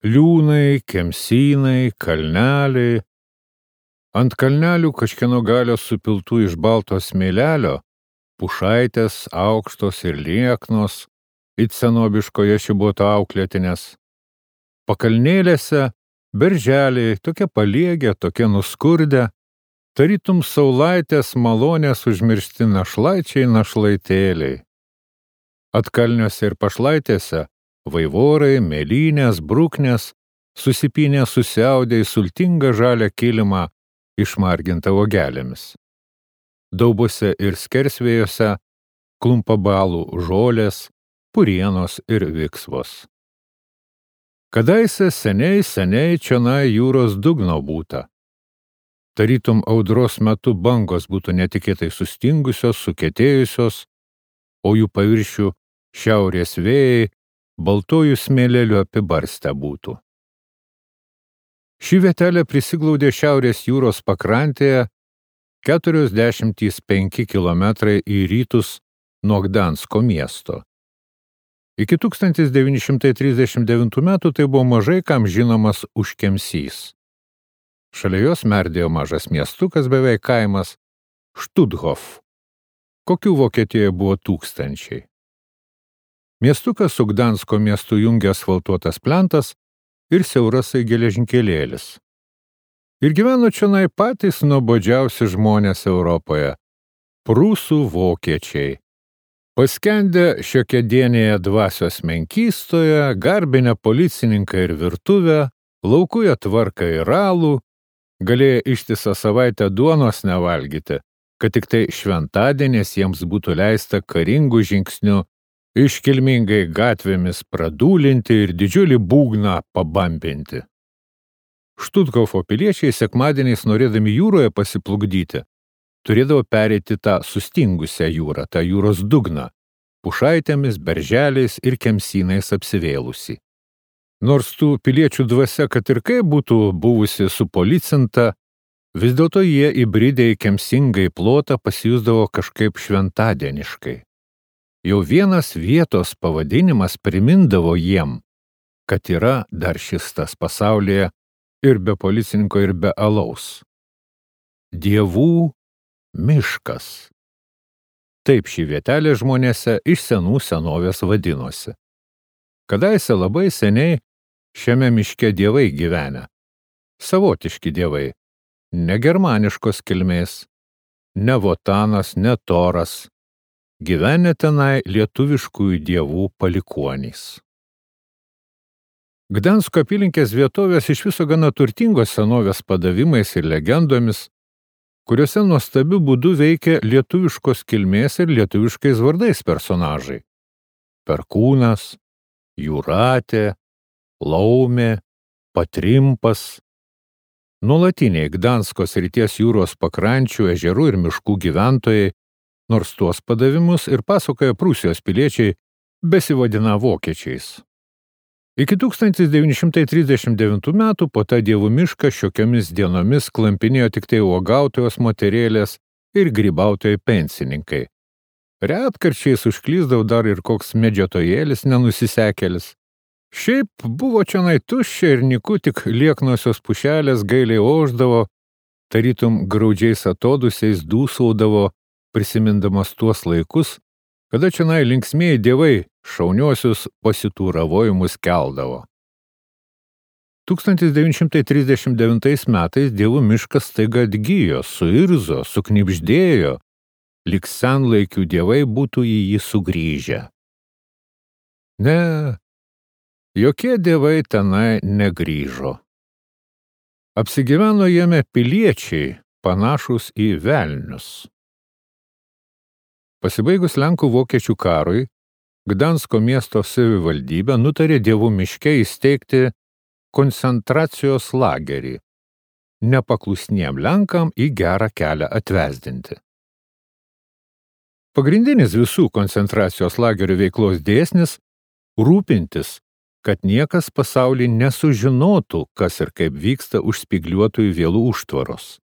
Liūnai, kemsynai, kalneliai. Ant kalnelių kažkieno galios supiltų iš balto smėlelio, pušaitės aukštos ir lieknos, it senobiškoje šibuoto auklėtinės. Pakalnėlėse berželiai, tokie paliegę, tokie nuskurdę, tarytum saulaitės malonės užmiršti našlaičiai našlaitėliai. Atkalniuose ir pašlaitėse vaivorai, mėlynės, bruknės, susipynė susiaudė į sultingą žalią kilimą išmargintą uogelėmis. Daubose ir skersvėjose klumpa balų žolės, purienos ir viksvos. Kadaise seniai čionai jūros dugno būta. Tarytum audros metu bangos būtų netikėtai sustingusios, sukietėjusios, o jų paviršių šiaurės vėjai baltojų smėlelių apibarstę būtų. Ši vietelė prisiglaudė šiaurės jūros pakrantėje 45 kilometrai į rytus nuo Gdansko miesto. Iki 1939 metų tai buvo mažai kam žinomas Užkemsys. Šalia jos merdėjo mažas miestukas, beveik kaimas Štuthof, kokių Vokietijoje buvo tūkstančiai. Miestukas su Gdansko miestu jungia asfaltuotas plentas ir siaurasai geležinkelėlis. Ir gyveno čionai patys nuobodžiausi žmonės Europoje – prūsų vokiečiai. Paskendę šiokėdienėje dvasios menkystoje, garbinę policininką ir virtuvę, laukuja tvarką ir alų, galėjo ištisą savaitę duonos nevalgyti, kad tik tai šventadienės jiems būtų leista karingų žingsnių iškilmingai gatvėmis pradūlinti ir didžiulį būgną pabambinti. Štuthofo piliečiai sekmadieniais norėdami jūroje pasiplukdyti, turėdavo pereiti tą sustingusią jūrą, tą jūros dugną, pušaitėmis, berželiais ir kemsynais apsivėlusi. Nors tų piliečių dvasia, kad ir kaip būtų buvusi supolicinta, vis dėlto jie įbridę į kemsingą plotą pasijusdavo kažkaip šventadieniškai. Jau vienas vietos pavadinimas primindavo jiem, kad yra dar šis tas pasaulyje ir be policininko, ir be alaus. Dievų miškas. Taip ši vietelė žmonėse iš senų senovės vadinosi. Kadaise labai seniai šiame miške dievai gyvenę. Savotiški dievai, ne germaniškos kilmės, ne Votanas, ne Toras, gyvenę tenai lietuviškųjų dievų palikuonys. Gdansko apylinkės vietovės iš viso gana turtingos senovės padavimais ir legendomis, kuriuose nuostabiu būdu veikia lietuviškos kilmės ir lietuviškais vardais personažai. Perkūnas, Jūratė, Laumė, Patrimpas. Nuolatiniai Gdansko srities jūros pakrančių, ežerų ir miškų gyventojai, nors tuos padavimus ir pasakoja Prūsijos piliečiai, besivadina vokiečiais. Iki 1939 metų po tą dievų mišką šiokiamis dienomis klampinėjo tik tai uogautojos moterėlės ir grybautojai pensininkai. Retkarčiais užklysdavo dar ir koks medžiotojėlis nenusisekėlis. Šiaip buvo čionai tuščia ir nyku, tik lieknosios pušelės gailiai ošdavo, tarytum graudžiais atodusiais dūsaudavo, prisimindamas tuos laikus, kada čionai linksmieji dievai šauniuosius pasitūravojimus keldavo. 1939 metais dievų miškas staiga atgijo, suirzo, suknibždėjo, lyg senlaikių dievai būtų į jį sugrįžę. Ne, jokie dievai tenai negrįžo. Apsigyveno jame piliečiai, panašūs į velnius. Pasibaigus Lenkų vokiečių karui, Gdansko miesto savivaldybė nutarė dievų miške įsteigti koncentracijos lagerį, nepaklusniem Lenkam į gerą kelią atvesdinti. Pagrindinis visų koncentracijos lagerių veiklos dėsnis – rūpintis, kad niekas pasauly nesužinotų, kas ir kaip vyksta už spygliuotųjų vielų užtvaros.